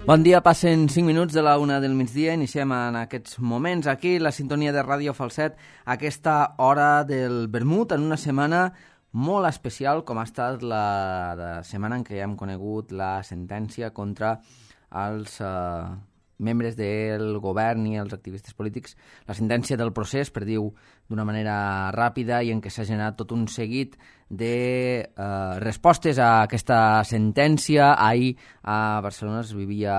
Bon dia, passen 5 minuts de la 1 del migdia. Iniciem en aquests moments aquí la sintonia de Ràdio Falset, aquesta hora del vermut, en una setmana molt especial com ha estat la setmana en què hem conegut la sentència contra els membres del govern i els activistes polítics, la sentència del procés, per dir-ho d'una manera ràpida, i en què s'ha generat tot un seguit de respostes a aquesta sentència. Ahir a Barcelona es vivia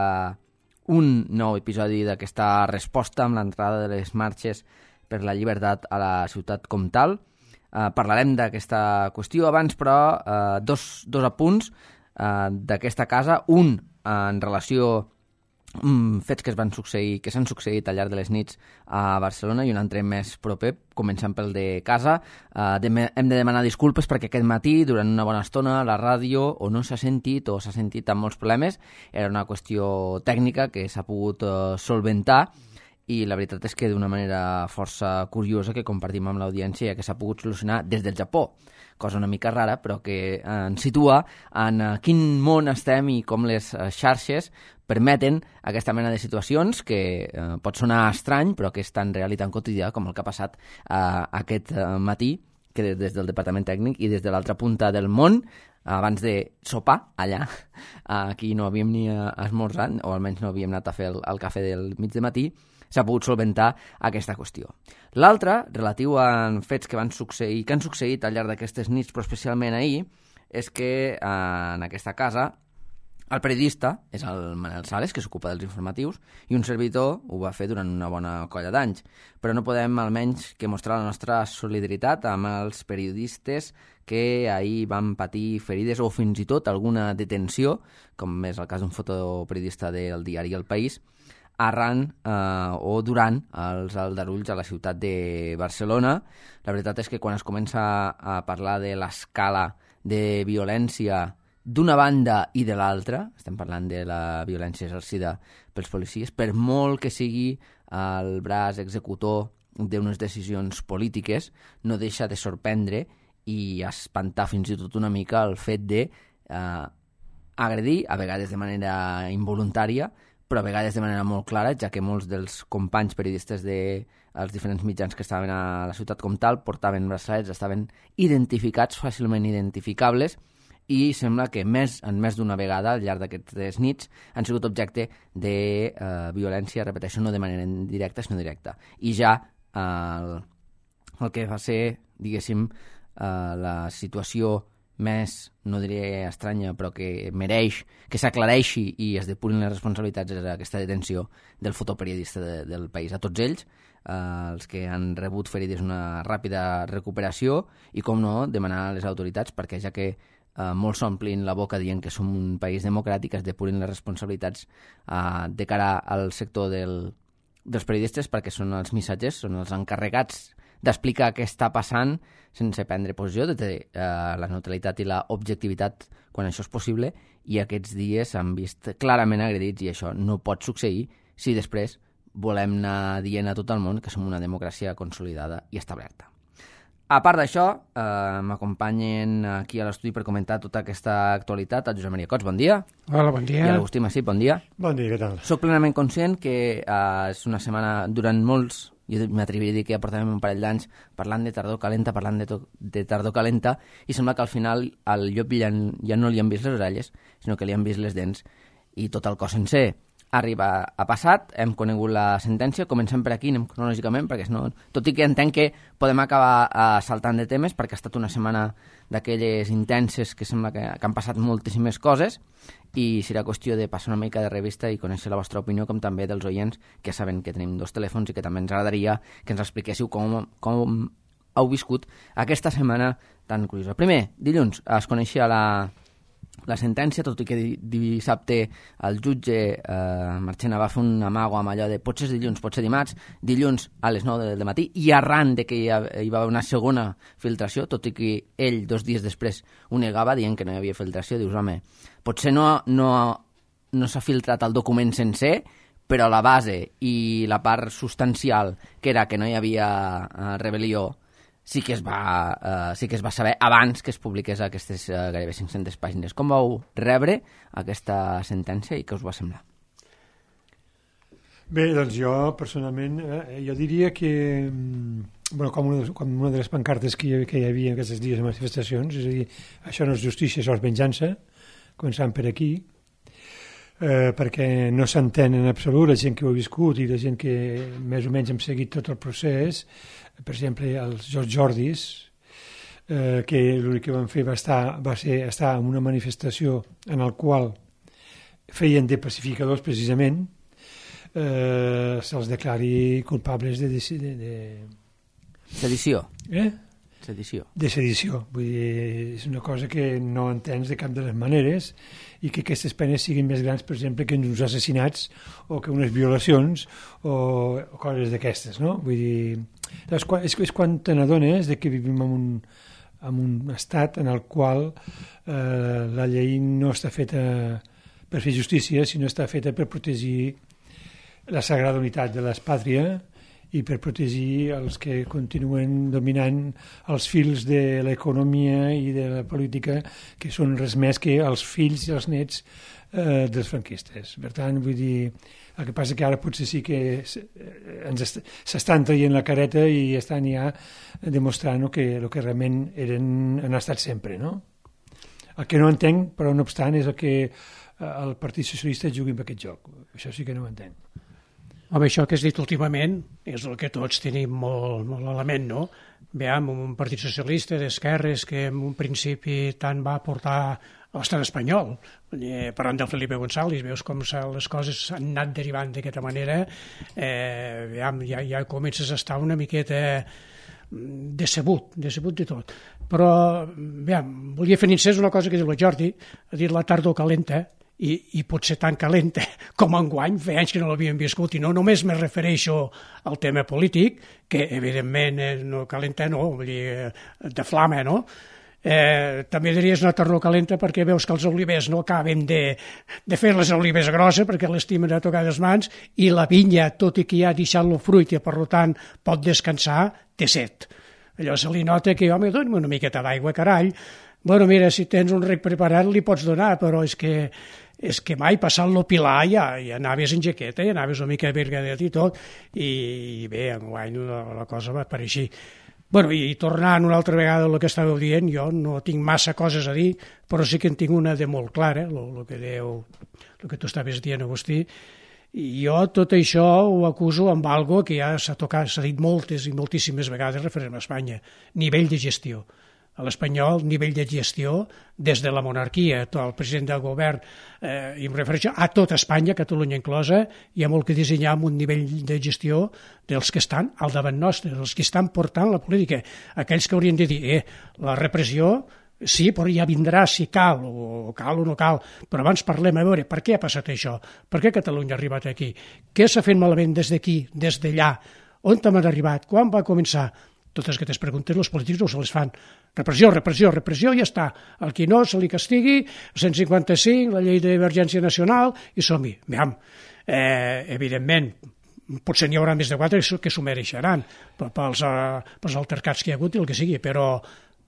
un nou episodi d'aquesta resposta amb l'entrada de les marxes per la llibertat a la ciutat comtal. Parlarem d'aquesta qüestió abans, però dos apunts d'aquesta casa. Un en relació fets que s'han succeït al llarg de les nits a Barcelona, i un altre més proper, començant pel de casa. Hem de demanar disculpes perquè aquest matí, durant una bona estona, la ràdio o no s'ha sentit o s'ha sentit amb molts problemes. Era una qüestió tècnica que s'ha pogut solventar, i la veritat és que d'una manera força curiosa que compartim amb l'audiència, ja que s'ha pogut solucionar des del Japó, cosa una mica rara, però que ens situa en quin món estem i com les xarxes permeten aquesta mena de situacions que pot sonar estrany, però que és tan real i tan quotidià com el que ha passat aquest matí, que des del departament tècnic i des de l'altra punta del món, abans de sopar allà, aquí no havíem ni esmorzat, o almenys no havíem anat a fer el cafè del mig de matí, s'ha pogut solventar aquesta qüestió. L'altra, relatiu a fets que han succeït al llarg d'aquestes nits, però especialment ahir, és que en aquesta casa el periodista és el Manel Sales, que s'ocupa dels informatius, i un servidor ho va fer durant una bona colla d'anys. Però no podem almenys que mostrar la nostra solidaritat amb els periodistes que ahir van patir ferides o fins i tot alguna detenció, com és el cas d'un fotoperiodista del diari El País, arran o durant els aldarulls a la ciutat de Barcelona. La veritat és que quan es comença a parlar de l'escala de violència d'una banda i de l'altra, estem parlant de la violència exercida pels policies, per molt que sigui el braç executor d'unes decisions polítiques, no deixa de sorprendre i espantar fins i tot una mica el fet de agredir, a vegades de manera involuntària, però a vegades de manera molt clara, ja que molts dels companys periodistes dels diferents mitjans que estaven a la ciutat comtal portaven braçalets, estaven identificats, fàcilment identificables, i sembla que més d'una vegada al llarg d'aquestes nits han sigut objecte de violència, repeteixo, no de manera indirecta, sinó directa. I ja el que va ser, diguéssim, la situació més, no diré estranya, però que mereix que s'aclareixi i es depurin les responsabilitats d'aquesta detenció del fotoperiodista del País. A tots ells, els que han rebut ferides, una ràpida recuperació i, com no, demanar a les autoritats, perquè ja que molts s'omplin la boca dient que som un país democràtic, es depurin les responsabilitats de cara al sector dels periodistes, perquè són els missatgers, són els encarregats d'explicar què està passant sense prendre posició, de la neutralitat i la objectivitat quan això és possible, i aquests dies s'han vist clarament agredits, i això no pot succeir si després volem anar dient a tot el món que som una democràcia consolidada i establerta. A part d'això, m'acompanyen aquí a l'estudi per comentar tota aquesta actualitat el Josep Maria Cots, bon dia. Hola, bon dia. I l'Agustí Massip, bon dia. Bon dia, què tal? Soc plenament conscient que és una setmana durant molts, jo m'atreviria a dir que ja portàvem un parell d'anys parlant de tardor calenta, de tardor calenta, i sembla que al final al llop ja no li han vist les orelles, sinó que li han vist les dents i tot el cos sencer. Arriba a passat, hem conegut la sentència, comencem per aquí, anem cronològicament, perquè no, tot i que entenc que podem acabar saltant de temes, perquè ha estat una setmana d'aquelles intenses que sembla que han passat moltíssimes coses, i serà qüestió de passar una mica de revista i conèixer la vostra opinió, com també dels oients, que saben que tenim 2 telèfons i que també ens agradaria que ens expliquéssiu com heu viscut aquesta setmana tan curiosa. Primer, dilluns es coneixia la sentència, tot i que dissabte el jutge Marchena va fer un amago amb allò de potser dilluns, potser dilluns a les 9 del matí, i arran de que hi va haver una segona filtració, tot i que ell 2 dies després ho negava dient que no hi havia filtració, dius, home, potser no s'ha filtrat el document sencer, però la base i la part substancial, que era que no hi havia rebel·lió, sí que es va saber abans que es publiqués aquestes gairebé 500 pàgines. Com vau rebre aquesta sentència i què us va semblar? Bé, doncs jo, personalment, jo diria que, com una de les pancartes que hi havia aquests dies de manifestacions, és a dir, això no és justícia, això és venjança, començant per aquí, perquè no s'entén en absolut la gent que ho ha viscut i la gent que més o menys hem seguit tot el procés, per exemple, els Jordis, que l'únic que van fer va ser estar en una manifestació en el qual feien de pacificadors precisament, se'ls declari culpables de sedició. Sedició. De sedició. Vull dir, és una cosa que no entens de cap de les maneres i que aquestes penes siguin més grans, per exemple, que uns assassinats o que unes violacions o coses d'aquestes, no? Vull dir, és quan te n'adones que vivim en un estat en el qual la llei no està feta per fer justícia, sinó està feta per protegir la sagrada unitat de l'espàtria i per protegir els que continuen dominant els fils de l'economia i de la política, que són res més que els fills i els nets dels franquistes. Per tant, vull dir, el que passa que ara potser sí que s'estan traient la careta i estan ja demostrant el que realment han estat sempre, no? El que no entenc, però no obstant, és el que el Partit Socialista jugui amb aquest joc. Això sí que no ho entenc. Home, això que has dit últimament és el que tots tenim molt a la ment, no? Veiem, un partit socialista d'esquerres que en un principi tant va portar a l'estat espanyol, parlant del Felipe González, veus com les coses han anat derivant d'aquesta manera, veiem, ja comences a estar una miqueta decebut de tot. Però, veiem, volia fer incís una cosa que diu la Jordi, ha dit la tardor calenta, i pot ser tan calenta com enguany, feia anys que no l'havíem viscut, i no només me refereixo al tema polític, que evidentment no calenta, no, vull dir, de flama, no? També diries una tardor calenta perquè veus que els olivers no acaben de fer les olives grosses perquè l'estimen a tocar les mans, i la vinya, tot i que ja ha deixat el fruit i per tant pot descansar, té set. Allò se li nota que, home, dona una miqueta d'aigua, carall. Bueno, mira, si tens un rec preparat li pots donar, però és que mai passant lo pilar ja anaves en jaqueta, ja anaves una mica vergadet i tot, i bé, enguany la cosa va per així. Bueno, i tornant una altra vegada al que estàveu dient, jo no tinc massa coses a dir, però sí que en tinc una de molt clara, el que tu estaves dient, Agustí, i jo tot això ho acuso amb algo que ja s'ha dit moltes i moltíssimes vegades referent a Espanya, nivell de gestió. A l'espanyol, nivell de gestió, des de la monarquia, el president del govern, i em refereixo a tota Espanya, Catalunya inclosa, hi ha molt que dissenyar amb un nivell de gestió dels que estan al davant nostre, dels que estan portant la política, aquells que haurien de dir, la repressió, sí, però ja vindrà si cal o no cal, però abans parlem a veure per què ha passat això, per què Catalunya ha arribat aquí, què s'ha fet malament des d'aquí, des d'allà, on hem arribat, quan va començar. Totes aquestes preguntes els polítics no se les fan. Repressió, ja està. El qui no se li castigui, 155, la llei d'emergència nacional, i som-hi. Evidentment, potser n'hi haurà més de 4 que s'ho mereixeran pels altercats que hi ha hagut i el que sigui, però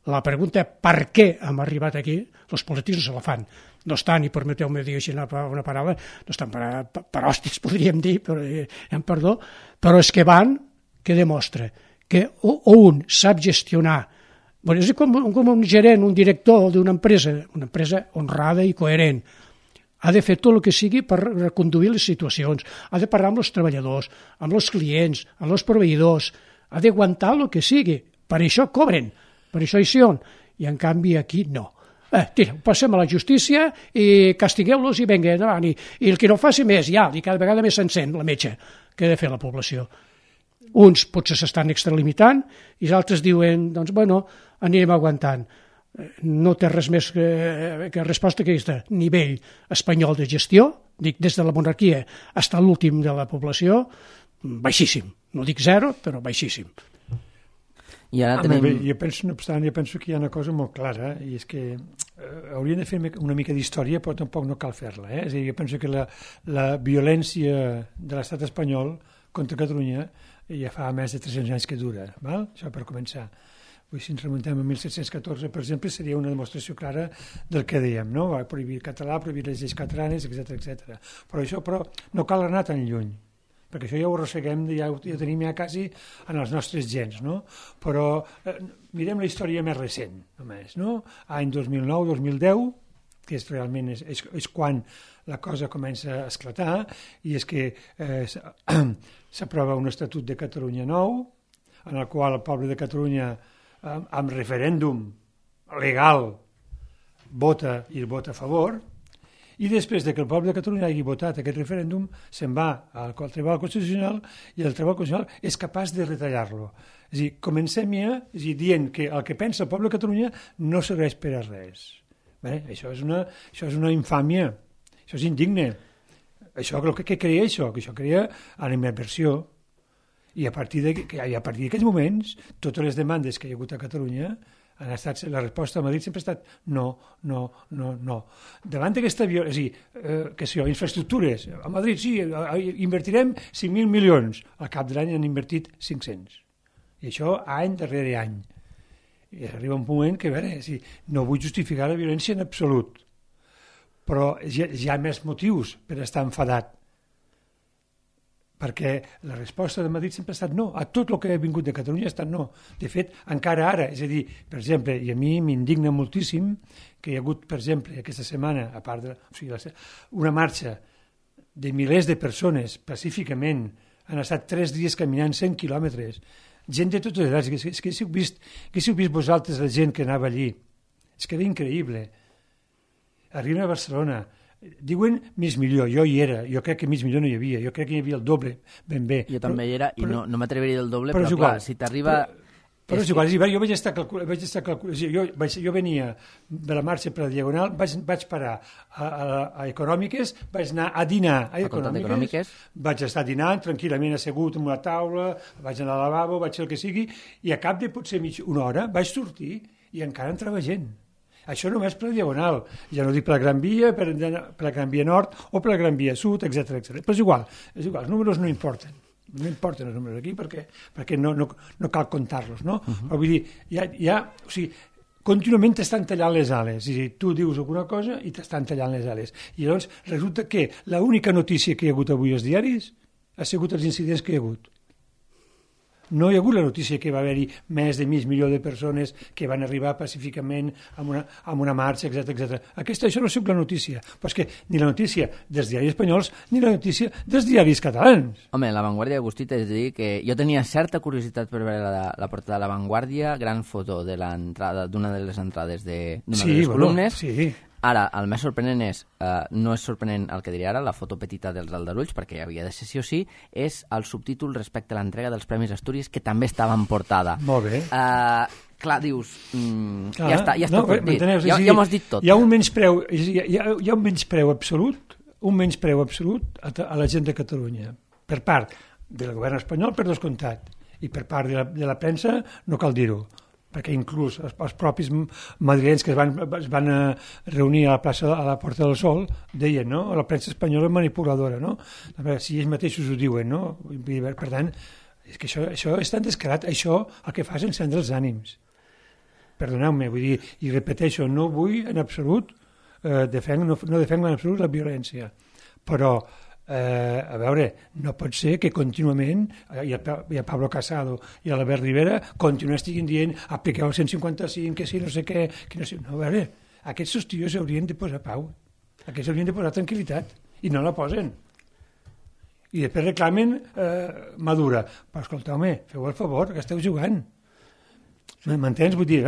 la pregunta per què hem arribat aquí, els polítics no se la fan. No estan, i permeteu-me dir així una paraula, no estan per hòsties, podríem dir, perdó, però és que van, que demostra que un sap gestionar, és com un gerent, un director d'una empresa honrada i coherent, ha de fer tot el que sigui per reconduir les situacions, ha de parlar amb els treballadors, amb els clients, amb els proveïdors, ha d'aguantar el que sigui, per això cobren, per això hi són, i en canvi aquí no. Tira, passem a la justícia i castigueu-los i vinga, endavant, i el que no faci més, ja, i cada vegada més s'encén la metge que ha de fer la població. Uns potser s'estan extralimitant i els altres diuen, doncs, bueno, anirem aguantant. No té res més que resposta que aquesta. Nivell espanyol de gestió, dic des de la monarquia fins a l'últim de la població, baixíssim. No dic zero, però baixíssim. I ara tenim... Jo penso que hi ha una cosa molt clara, i és que haurien de fer una mica d'història, però tampoc no cal fer-la. És a dir, jo penso que la violència de l'estat espanyol contra Catalunya ja fa més de 300 anys que dura, val? Això per començar. Si ens remuntem a 1714, per exemple, seria una demostració clara del que dèiem, no? Prohibir el català, prohibir les lleis catalanes, etc. Però no cal anar tan lluny. perquè això ja ho arrosseguem, ja ho tenim ja quasi en els nostres gens, no? Però mirem la història més recent, només, no? Any 2009-2010, que realment és quan la cosa comença a esclatar, i és que s'aprova un Estatut de Catalunya nou, en el qual el poble de Catalunya, amb referèndum legal, vota a favor, i després de que el poble de Catalunya hagi votat aquest referèndum, se'n va al Tribunal Constitucional i el Tribunal Constitucional és capaç de retallar-lo. És a dir, comencem ja dient que el que pensa el poble de Catalunya no serveix per a res. Bé, això és una infàmia, això és indigne. Què crea això? Que això crea animadversió. I a partir d'aquests moments, totes les demandes que hi ha hagut a Catalunya han estat, la resposta a Madrid sempre ha estat no. Davant d'aquesta violència, infraestructures, a Madrid sí, invertirem 5.000 milions, al cap de l'any han invertit 500. I això any darrere any. I arriba un moment que, a veure, no vull justificar la violència en absolut, però hi ha més motius per estar enfadat, perquè la resposta de Madrid sempre ha estat no, a tot el que ha vingut de Catalunya ha estat no. De fet, encara ara, és a dir, per exemple, i a mi m'indigna moltíssim que hi ha hagut, per exemple, aquesta setmana, a part una marxa de milers de persones pacíficament, han estat 3 dies caminant 100 quilòmetres, gent de totes les edats, que si heu vist vosaltres la gent que anava allí, és que era increïble. Arriben a Barcelona, diuen mig milió, jo hi era, jo crec que mig milió no hi havia, jo crec que hi havia el doble, ben bé. Jo també hi era, i no m'atreviria el doble, però clar, si t'arriba... Però és igual, jo vaig estar calculant, jo venia de la marxa per la Diagonal, vaig parar a Econòmiques, vaig anar a dinar a Econòmiques, vaig estar dinant tranquil·lament assegut en una taula, vaig anar al lavabo, vaig fer el que sigui, i a cap de potser una hora vaig sortir i encara entrava gent. Això només per la Diagonal, ja no dic per la Gran Via, per la Gran Via Nord o per la Gran Via Sud, etc. Però és igual, els números no importen. No importen els números aquí perquè no cal comptar-los, no? Però vull dir, contínuament t'estan tallant les ales, és a dir, tu dius alguna cosa i t'estan tallant les ales. I llavors resulta que l'única notícia que hi ha hagut avui als diaris ha sigut els incidents que hi ha hagut. No hi ha hagut la notícia que va haver-hi més de mig milió de persones que van arribar pacíficament amb una marxa, etc. Això no és la notícia, però és que ni la notícia dels diaris espanyols ni la notícia dels diaris catalans. Home, La Vanguardia, Agustí, és a dir que jo tenia certa curiositat per veure la portada de La Vanguardia, gran foto de l'entrada d'una de les entrades d'una de les columnes. Sí. Ara, el més sorprenent no és sorprenent el que diré ara, la foto petita dels aldarulls, perquè havia de ser sí o sí, és el subtítol respecte a l'entrega dels Premis Astúries, que també estava en portada. Molt bé. Clar, dius, ja està tot dit, ja m'ho has dit tot. Hi ha un menyspreu absolut a la gent de Catalunya, per part del govern espanyol, per descomptat, i per part de la premsa, no cal dir-ho, perquè inclús els propis madrilenys que es van reunir a la Porta del Sol deien, no?, la premsa espanyola és manipuladora, no? Si ells mateixos ho diuen, no? Per tant, és que això és tan descarat, això el que fa és encendre els ànims. Perdoneu-me, vull dir, i repeteixo, no vull en absolut, no defengo en absolut la violència, però a veure, no pot ser que contínuament i a Pablo Casado i a l'Albert Rivera estiguin dient apliqueu el 155, que sí, no sé què, que no sé... No, a veure, aquests tios haurien de posar pau, aquests haurien de posar tranquil·litat, i no la posen. I després reclamen Madura. Però escolteu-me, feu el favor, que esteu jugant. M'entens? Vull dir,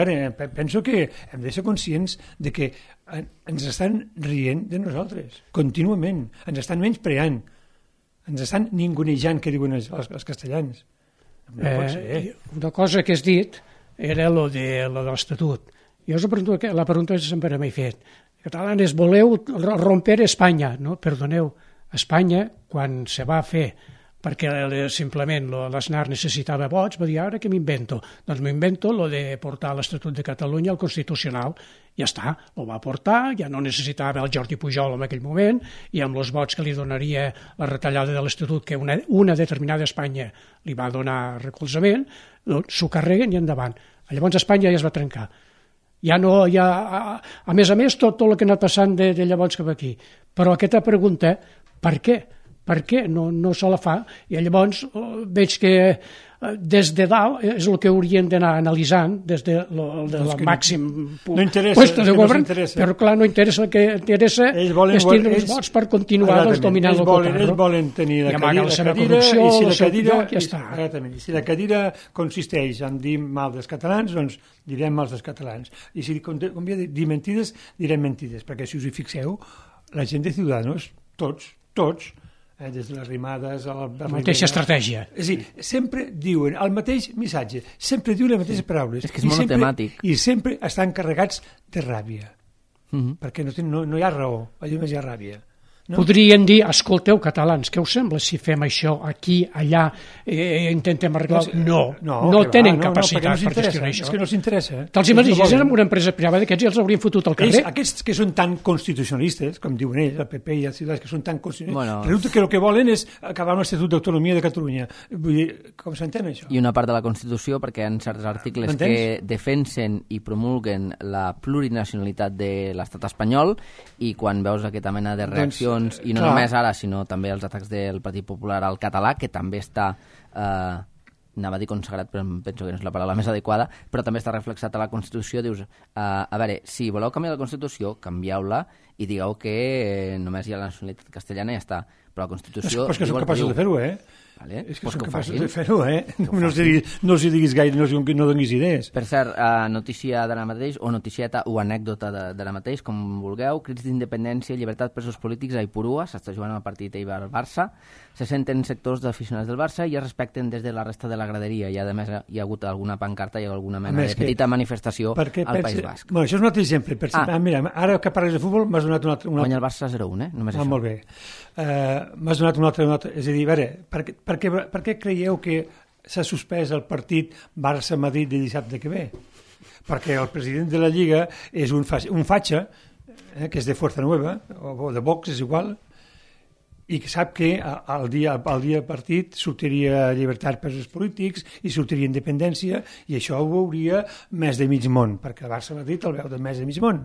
penso que hem de ser conscients de que ens estan rient de nosaltres, contínuament, ens estan menyspreant, ens estan ningunejant, que diuen els castellans. No pot ser. Una cosa que has dit era lo de l'Estatut. Jo la pregunta que sempre m'he fet. Catalanes, voleu romper Espanya? No, perdoneu, Espanya, quan se va fer perquè simplement l'Aznar necessitava vots, va dir, ara què m'invento? Doncs m'invento lo de portar l'Estatut de Catalunya al Constitucional. Ja està, ho va portar, ja no necessitava el Jordi Pujol en aquell moment, i amb els vots que li donaria la retallada de l'Estatut, que una determinada Espanya li va donar recolzament, s'ho carreguen i endavant. Llavors Espanya ja es va trencar. A més, tot el que ha anat passant de llavors cap aquí. Però aquesta pregunta, per què? Per què no se la fa? I llavors veig que des de dalt és el que haurien d'anar analitzant des del màxim puesto de govern, però clar, no interessa. El que interessa és tindre els vots per continuar dominant el poder. Ells volen tenir la cadira i si la cadira consisteix en dir mal dels catalans, doncs direm mal dels catalans. I si convé dir mentides, direm mentides, perquè si us hi fixeu, la gent de Ciudadanos, tots, des de les rimades a la mateixa estratègia. És a dir, sempre diuen el mateix missatge, sempre diuen les mateixes paraules. És que és monotemàtic. I sempre estan carregats de ràbia, perquè no hi ha raó, allà només hi ha ràbia. No? Podrien dir, escolteu, catalans, què us sembla si fem això aquí, allà, intentem arreglar... No tenen capacitat per gestionar això. És que no els interessa. Te'ls imagines amb una empresa privada d'aquests ja els haurien fotut al carrer? Aquests que són tan constitucionalistes, com diuen ells, el PP i els ciutadans, que són tan constitucionalistes, resulta que el que volen és acabar amb l'Estatut d'Autonomia de Catalunya. Vull dir, com s'entén això? I una part de la Constitució, perquè hi ha certs articles que defensen i promulguen la plurinacionalitat de l'estat espanyol, i quan veus aquesta mena de reaccions, i no només ara, sinó també els atacs del Partit Popular al català, que també està, anava a dir consagrat, però penso que no és la paraula més adequada, però també està reflexat a la Constitució. Dius, a veure, si voleu canviar la Constitució, canvieu-la i digueu que només hi ha la nacionalitat castellana i ja està. Però la Constitució... Però és que són capaços de fer-ho, Vale? És que són capaços de fer-ho, No els diguis gaire, no donis idees. Per cert, notícia d'ara mateix, o noticieta o anècdota d'ara mateix, com vulgueu, crits d'independència i llibertat presos polítics a Ipurua, s'està jugant el partit Eibar-Barça, se senten sectors d'aficionats del Barça i es respecten des de la resta de la graderia, i a més hi ha hagut alguna pancarta i alguna mena de petita manifestació al País Basc. Bueno, això és un altre exemple. Mira, ara que parles de futbol m'has donat un altre... Guanya el Barça 0-1, només això. Molt bé. M'has donat un altre... És a dir, a veure, per què creieu que s'ha suspès el partit Barça-Madrid de dissabte que ve? Perquè el president de la Lliga és un fatxa, que és de Fuerza Nueva, o de Vox, és igual, i que sap que al dia del partit sortiria llibertat presos polítics i sortiria independència, i això ho veuria més de mig món, perquè el Barça-Madrid el veu de més de mig món.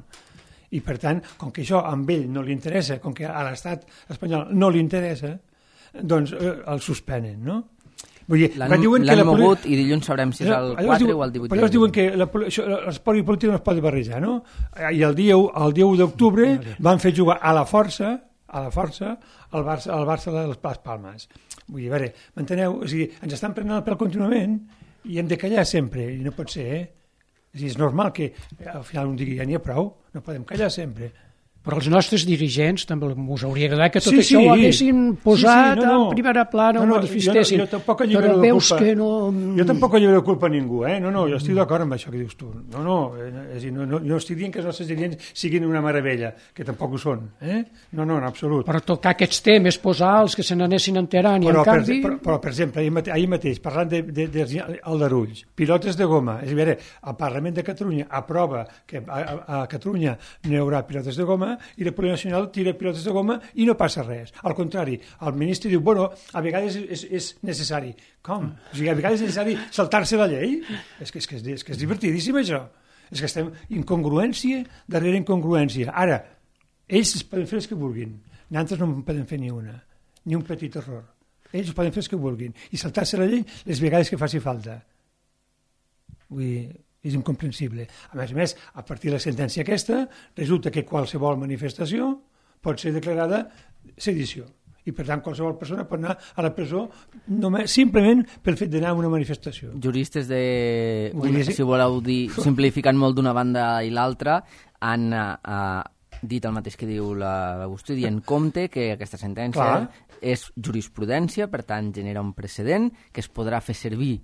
I per tant, com que això a ell no li interessa, com que a l'estat espanyol no li interessa, doncs el suspenen, no? Vull dir, l'han mogut i dilluns sabrem si és el 4 o el 18. Però llavors diuen que l'espoli polític no es pot barrejar, no? I el dia 1 d'octubre van fer jugar a la força el Barça de les Palmes. Vull dir, a veure, m'enteneu? O sigui, ens estan prenent el pèl contínuament i hem de callar sempre, i no pot ser, És a dir, és normal que al final un digui, ja n'hi ha prou, no podem callar sempre. Però els nostres dirigents també us hauria agradat que tot això ho haguessin posat en primera plana, no manifestessin. Però veus que no... Jo tampoc lliuro culpa a ningú, No, jo estic d'acord amb això que dius tu. No estic dient que els nostres dirigents siguin una meravella, que tampoc ho són, No, en absolut. Però tocar aquests temes, posar els que se n'anessin enterant i en canvi... Però, per exemple, ahir mateix, parlant dels aldarulls, pilotes de goma, és a dir, el Parlament de Catalunya aprova que a Catalunya no hi haurà pilotes de goma, i la Policia Nacional tira pilotes de goma i no passa res. Al contrari, el ministre diu, bueno, a vegades és necessari. Com? O sigui, a vegades és necessari saltar-se la llei? És que és divertidíssim, això. És que estem incongruència darrere incongruència. Ara, ells poden fer els que vulguin. Nosaltres no en poden fer ni una, ni un petit error. Ells poden fer els que vulguin. I saltar-se la llei les vegades que faci falta. Vull dir... és incomprensible. A més, a partir de la sentència aquesta, resulta que qualsevol manifestació pot ser declarada sedició. I, per tant, qualsevol persona pot anar a la presó simplement pel fet d'anar a una manifestació. Juristes si voleu dir, simplificant molt d'una banda i l'altra, han dit el mateix que diu l'Agustí, dient compte que aquesta sentència és jurisprudència, per tant, genera un precedent que es podrà fer servir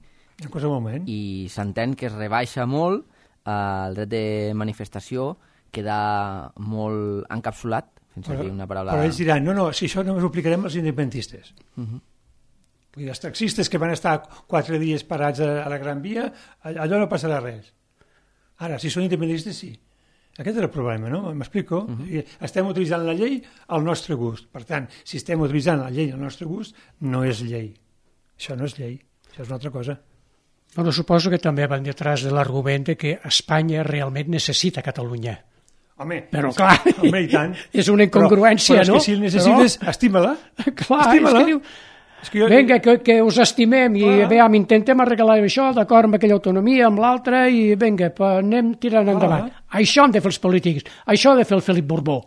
en qualsevol moment. I s'entén que es rebaixa molt el dret de manifestació, queda molt encapsulat, fins a dir una paraula... Però ells diran, no, si això només ho aplicarem als independentistes. Vull dir, els taxistes que van estar 4 dies parats a la Gran Via, allò no passarà res. Ara, si són independentistes, sí. Aquest és el problema, no? M'explico? Estem utilitzant la llei al nostre gust. Per tant, si estem utilitzant la llei al nostre gust, no és llei. Això no és llei, això és una altra cosa. Bueno, suposo que també van detrás de l'argument de que Espanya realment necessita Catalunya. Però clar, i tant. És una incongruència, però no? És que si el necessites, estima-la. Clar, estima-la. És que diu, vinga, que us estimem i veiem, intentem arreglar això, d'acord amb aquella autonomia, amb l'altra, i vinga, anem tirant endavant. Això han de fer els polítics, això ha de fer el Felip Borbó.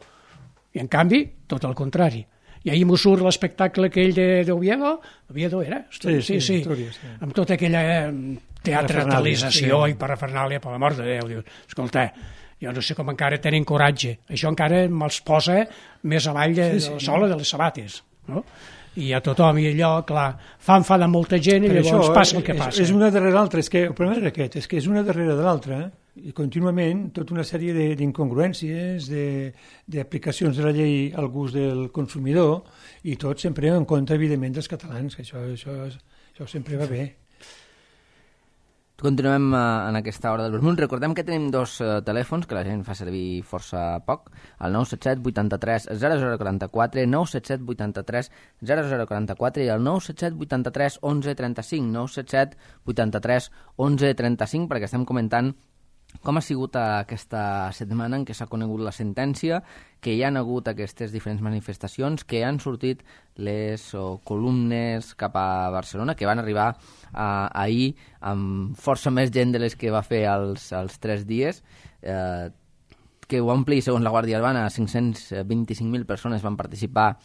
I en canvi, tot el contrari. I ahir m'ho surt l'espectacle aquell d'Oviedo, Oviedo era? Sí. Amb tota aquella teatralització i parafernàlia, per l'amor de Déu. Dius, escolta, jo no sé com encara tenen coratge. Això encara me'ls posa més avall de la sola de les sabates, no? I a tothom, i allò, clar, fa enfadar molta gent i llavors passa el que passa. És una darrere l'altra, és que el problema és aquest, és que és una darrere de l'altra, i contínuament tota una sèrie d'incongruències, d'aplicacions de la llei al gust del consumidor, i tot sempre en compte, evidentment, dels catalans, que això sempre va bé. Continuem en aquesta hora del Vermut. Recordem que tenim dos telèfons que la gent fa servir força poc, el 977 83 0044, 977 83 0044 i el 977 83 11 35, 977 83 11 35, perquè estem comentant com ha sigut aquesta setmana en què s'ha conegut la sentència, que hi han hagut aquestes diferents manifestacions, que han sortit les columnes cap a Barcelona, que van arribar ahir amb força més gent de les que va fer els 3 dies, que ho ampli, segons la Guàrdia Urbana, 525.000 persones van participar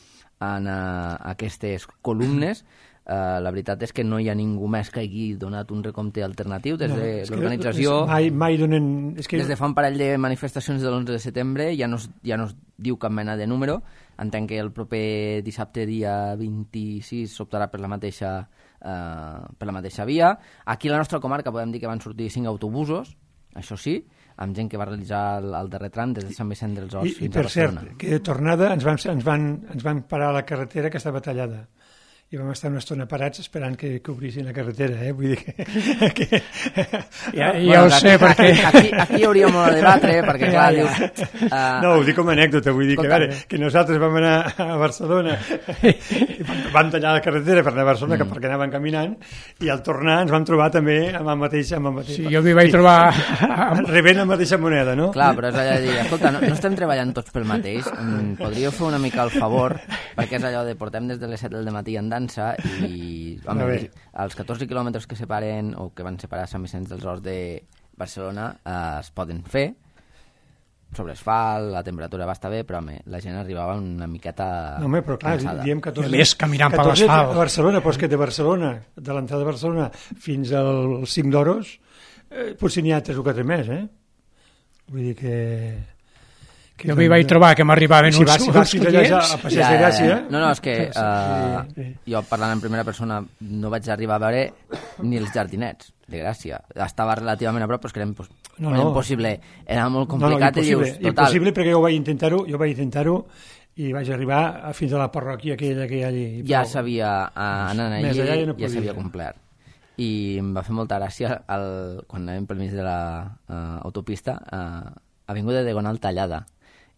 en aquestes columnes. La veritat és que no hi ha ningú més que hagi donat un recompte alternatiu des de l'organització. Mai donen... Des de fa un parell de manifestacions de l'11 de setembre ja no es diu cap mena de número. Entenc que el proper dissabte, dia 26, s'optarà per la mateixa via. Aquí a la nostra comarca podem dir que van sortir 5 autobusos, això sí, amb gent que va realitzar el darrer tram des de Sant Vicent dels Horts fins a Barcelona. I per cert, que de tornada ens van parar a la carretera que estava tallada. I vam estar una estona parats esperant que obrissin la carretera, vull dir que... Ja ho sé, perquè... Aquí hauríem de debatre, perquè clar, dius... No, ho dic com a anècdota, vull dir que nosaltres vam anar a Barcelona i vam tallar la carretera per anar a Barcelona perquè anaven caminant, i al tornar ens vam trobar també amb el mateix... Sí, jo m'hi vaig trobar... Rebent la mateixa moneda, no? Clar, però és allò de dir, escolta, no estem treballant tots pel mateix, podríeu fer una mica el favor, perquè és allò de portem des de les 7 del matí andant i els 14 quilòmetres que separen o que van separar Sant Vicenç dels Horts de Barcelona es poden fer sobre asfalt, la temperatura va estar bé, però la gent arribava una miqueta però clar, diem 14... I més caminant per l'asfalt. A Barcelona, però és que de Barcelona, de l'entrada de Barcelona fins al cim d'Oros, potser n'hi ha 3 o 4 més, Vull dir que... Jo m'hi vaig trobar que m'arribaven uns clients. A Passeig de Gràcia. No, és que jo parlant en primera persona no vaig arribar a veure ni els jardinets de Gràcia. Estava relativament a prop, però és que era impossible. Era molt complicat i dius, total. Impossible perquè jo vaig intentar-ho i vaig arribar fins a la parròquia aquella que hi ha allí. Ja s'havia anat allí, ja s'havia complert. I em va fer molta gràcia quan anàvem pel mig de l'autopista avinguda Diagonal tallada.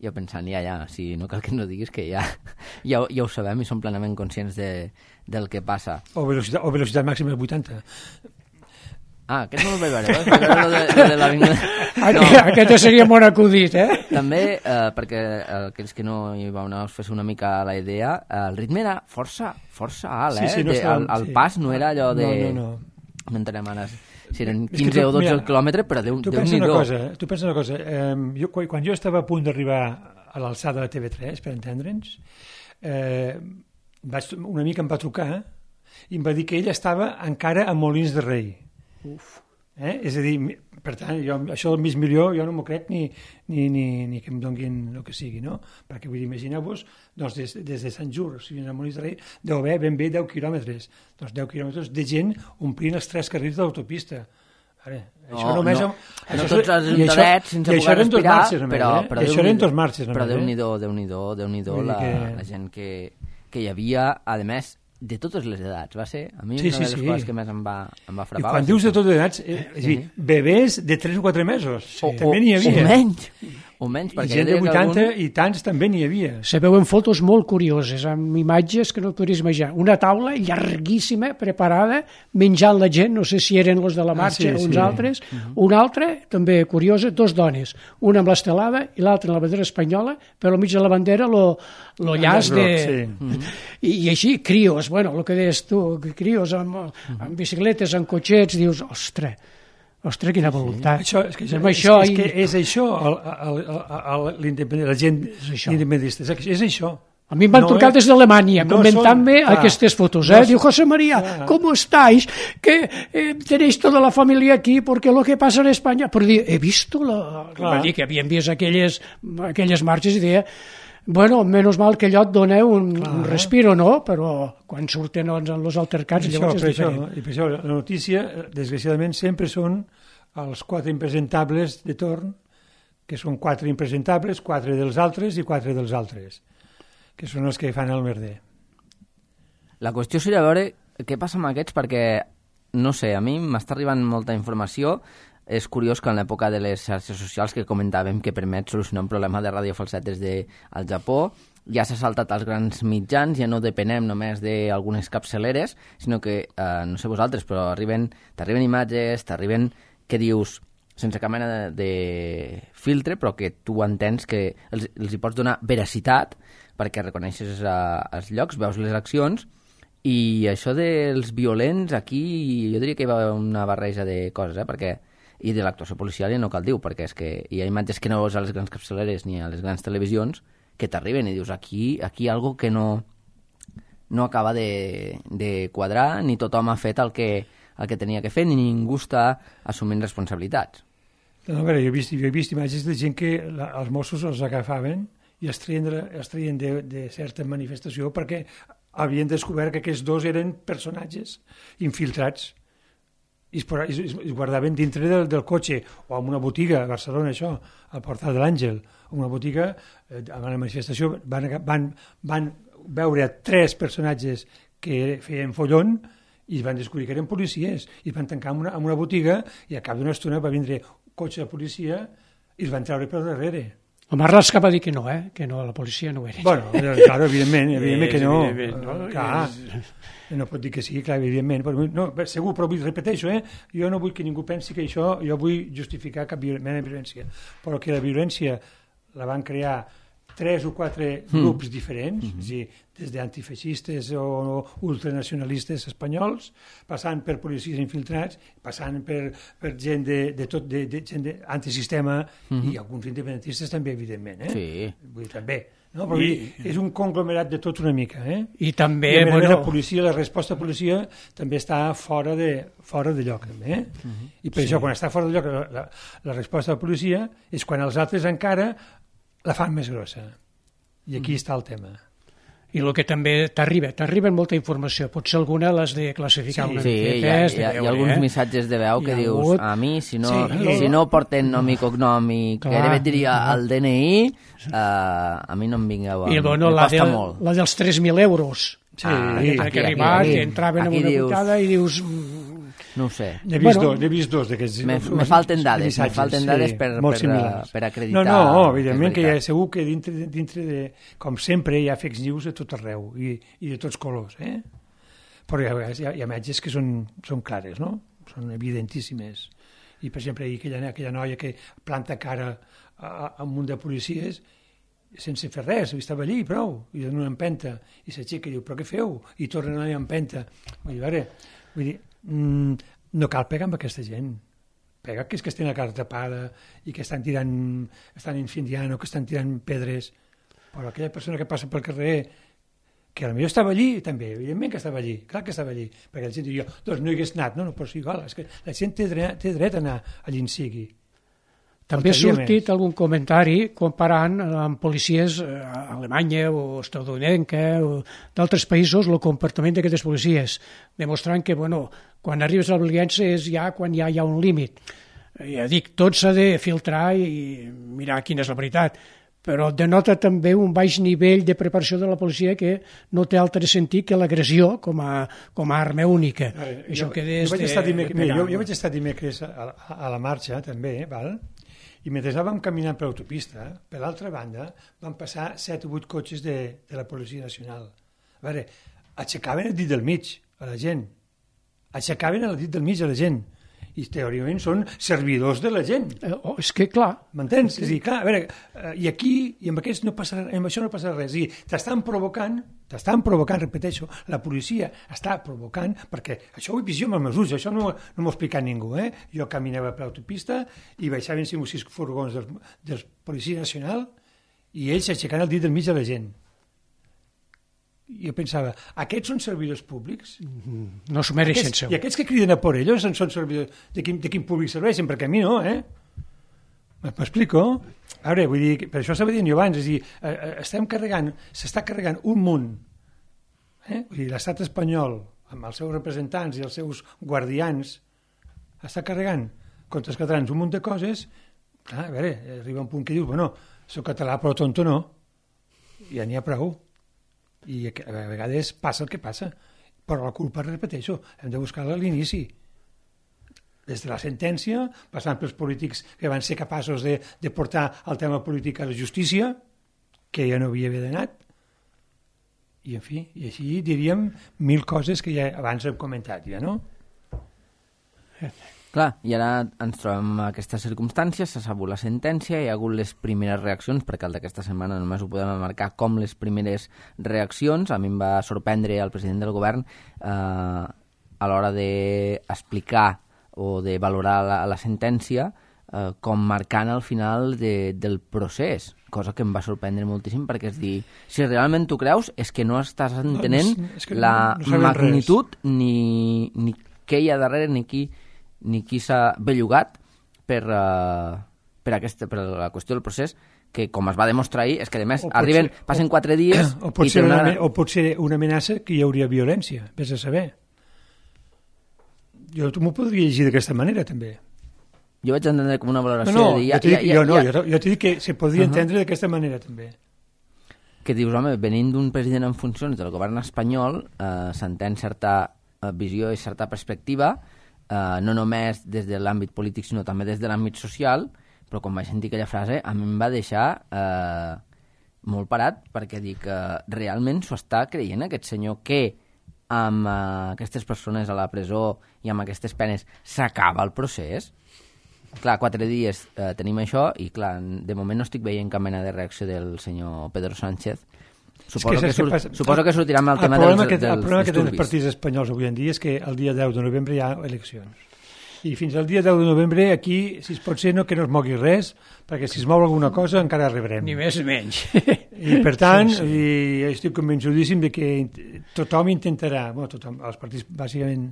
Jo pensant, si no cal que no diguis que ja ho sabem i som plenament conscients del que passa. O velocitat màxima de 80. Aquest no el vaig veure, de l'avinguda. Aquest seria molt acudit, També, perquè aquells que no hi vau anar us fes una mica la idea, el ritme era força alt, el pas no era allò de... No entenem ara si eren 15 o 12 quilòmetres, però Déu-n'hi-do. Tu pensa una cosa, quan jo estava a punt d'arribar a l'alçada de TV3, per entendre'ns, una mica em va trucar i em va dir que ell estava encara a Molins de Rei. És a dir, per tant, això del mig milió jo no m'ho crec ni que em donguin el que sigui, no? Perquè vull dir, imagineu-vos, doncs des de Sant Just, si a Molins de Rei, deu haver ben bé 10 quilòmetres. Doncs 10 quilòmetres de gent omplint els 3 carrils de l'autopista. No tots els ajuntaments sense poder respirar, però això eren 2 marxes. Però Déu-n'hi-do la gent que hi havia, a més, de totes les edats, va ser? A mi una de les coses que més em va frapar. I quan dius de totes les edats, és a dir, bebès de 3 o 4 mesos. També n'hi havia. O menys, I perquè gent de 80 i tants també n'hi havia. Se veuen fotos molt curioses, amb imatges que no et podries imaginar. Una taula llarguíssima, preparada, menjant la gent, no sé si eren els de la marxa o uns altres. Una altra, també curiosa, 2 dones, una amb l'estelada i l'altra amb la bandera espanyola, però al mig de la bandera lo llaç de... I així, crios, bueno, el que deies tu, crios amb bicicletes, amb cotxets, dius, ostres, quina voluntat. És això la gent independentista. És això. A mi em van trucar des d'Alemanya comentant-me aquestes fotos. Diu, José María, ¿cómo estáis? Que tenéis toda la familia aquí porque lo que pasa en España... Però he visto... Va dir que havien vist aquelles marxes i deia... Bueno, menys mal que allò et dona un respiro, no? Però quan surten els altercats llavors és diferent. I per això la notícia, desgraciadament, sempre són els 4 impresentables de torn, que són 4 impresentables, 4 dels altres i 4 dels altres, que són els que fan el merder. La qüestió seria veure què passa amb aquests, perquè, no sé, a mi m'està arribant molta informació. És curiós que en l'època de les xarxes socials que comentàvem que permet solucionar un problema de Ràdio Falset des del Japó, ja s'ha saltat als grans mitjans, ja no depenem només d'algunes capçaleres, sinó que, no sé vosaltres, però t'arriben imatges, t'arriben que dius, sense cap mena de filtre, però que tu entens que els hi pots donar veracitat perquè reconeixes els llocs, veus les accions, i això dels violents, aquí jo diria que hi va una barreja de coses, perquè i de l'actuació policial ja no cal dir, perquè és que hi ha imatges que no veus a les grans capçaleres ni a les grans televisions que t'arriben i dius aquí hi ha algo que no acaba de quadrar, ni tothom ha fet el que tenia que fer, ni ningú està assumint responsabilitats. No, a veure, jo he vist imatges de gent que els Mossos els agafaven i els traien de certa manifestació perquè havien descobert que aquests 2 eren personatges infiltrats i es guardaven dintre del cotxe o en una botiga a Barcelona, això, al Portal de l'Àngel, en una botiga, a la manifestació van veure 3 personatges que feien follon i van descobrir que eren policies i van tancar en una botiga i a cap d'una estona va vindre un cotxe de policia i els van treure per darrere. El Marlaska va dir que no, que no, la policia no ho era. Bueno, claro, evidentment que no. Clar, no pot dir que sí, clar, evidentment. No, segur, però repeteixo, jo no vull que ningú pensi que això, jo vull justificar cap mena de violència, però que la violència la van crear 3 o 4 grups diferents, és a dir, des d'antifeixistes o ultranacionalistes espanyols, passant per policies infiltrats, passant per gent gent antisistema i alguns independentistes també, evidentment. Sí. Vull dir, també. No? Però és un conglomerat de tot una mica. I també... I la policia, la resposta de policia també està fora de lloc. També, I per això, quan està fora de lloc, la resposta de la policia és quan els altres encara la fan més grossa. I aquí està el tema. I el que també t'arriba molta informació, potser alguna l'has de classificar una miqueta. Sí, hi ha alguns missatges de veu que dius, a mi, si no porten nom i cognom i gairebé diria el DNI, a mi no em vingueu, em costa molt. La dels 3.000 euros, que arribat, que entraven en una botada i dius... No ho sé. N'he vist 2 d'aquests. Me falten dades per acreditar. No, evidentment que segur que dintre de, com sempre, hi ha fake news a tot arreu i de tots colors, Però hi ha imatges que són clares, no? Són evidentíssimes. I, per exemple, aquella noia que planta cara a un munt de policies sense fer res, estava allí, prou, i dona una empenta, i s'aixeca i diu, però què feu? I torna a anar a empenta. Vull dir, no cal pegar amb aquesta gent. Pega que és que tenen la cara tapada i que estan incendiant o que estan tirant pedres. Però aquella persona que passa pel carrer, que potser estava allí, també, evidentment que estava allí, clar que estava allí, perquè la gent diu, doncs no hi hagués anat, no, però sí, igual, és que la gent té dret a anar allí en sigui. També ha sortit algun comentari comparant amb policies a Alemanya o estatunidenca o d'altres països el comportament d'aquestes policies, demostrant que, quan arribes a la violència és ja quan ja hi ha un límit. Ja dic, tot s'ha de filtrar i mirar quina és la veritat, però denota també un baix nivell de preparació de la policia que no té altre sentit que l'agressió com a arma única. Jo vaig estar dimecres a la marxa, també, val? I mentre anàvem caminant per l'autopista, per l'altra banda, van passar 7 o 8 cotxes de la Policia Nacional. A veure, aixecaven el dit del mig a la gent. Aixecaven el dit del mig a la gent. I teòricament són servidors de la gent. És que, clar... M'entens? És a dir, clar, a veure, i aquí, i amb això no passa res. És a dir, t'estan provocant, repeteixo, la policia està provocant, perquè això ho he vist jo amb els meus ulls, això no m'ho ha explicat ningú, Jo caminava per l'autopista i baixaven 5 o 6 furgons del Policia Nacional i ells aixecant el dit del mig de la gent. Jo pensava, aquests són servidors públics? No s'ho mereixen, segur. I aquests que criden a por ellos són servidors... De quin públic serveixen? Perquè a mi no, M'explico? A veure, vull dir, per això estava dient jo abans, és a dir, s'està carregant un munt, Vull dir, l'estat espanyol, amb els seus representants i els seus guardians, està carregant contra els catalans un munt de coses, clar, a veure, arriba un punt que dius, bueno, soc català però tonto no, ja n'hi ha prou. I a vegades passa el que passa, però la culpa, repeteixo, hem de buscar-la a l'inici, des de la sentència, passant pels polítics que van ser capaços de portar el tema polític a la justícia, que ja no havia anat, i en fi, i així diríem 1000 coses que ja abans hem comentat, ja, no? Clar, i ara ens trobem en aquestes circumstàncies, s'ha sabut la sentència, hi ha hagut les primeres reaccions, perquè el d'aquesta setmana només ho podem marcar com les primeres reaccions. A mi em va sorprendre el president del govern a l'hora d'explicar o de valorar la sentència com marcant el final del procés, cosa que em va sorprendre moltíssim, perquè és dir, si realment tu creus és que no estàs entenent la magnitud ni què hi ha darrere ni qui s'ha bellugat per la qüestió del procés, que com es va demostrar ahir, és que a més passen 4 dies... O pot ser una amenaça que hi hauria violència, vés a saber. Jo m'ho podria llegir d'aquesta manera, també. Jo vaig entendre com una valoració jo t'he dit que se podria entendre d'aquesta manera, també. Que dius, home, venint d'un president en funcions del govern espanyol, s'entén certa visió i certa perspectiva, no només des de l'àmbit polític sinó també des de l'àmbit social, però quan vaig sentir aquella frase a mi em va deixar molt parat, perquè dic que realment s'ho està creient aquest senyor que amb aquestes persones a la presó i amb aquestes penes s'acaba el procés. Clar, 4 dies tenim això i clar, de moment no estic veient cap mena de reacció del senyor Pedro Sánchez. Suposo que sortirà amb el tema dels disturbis. El problema que tenen els partits espanyols avui en dia és que el dia 10 de novembre hi ha eleccions. I fins al dia 10 de novembre aquí, si es pot ser, que no es mogui res, perquè si es mou alguna cosa encara rebrem. Ni més ni menys. I per tant, i estic convençudíssim de que tothom intentarà, els partits bàsicament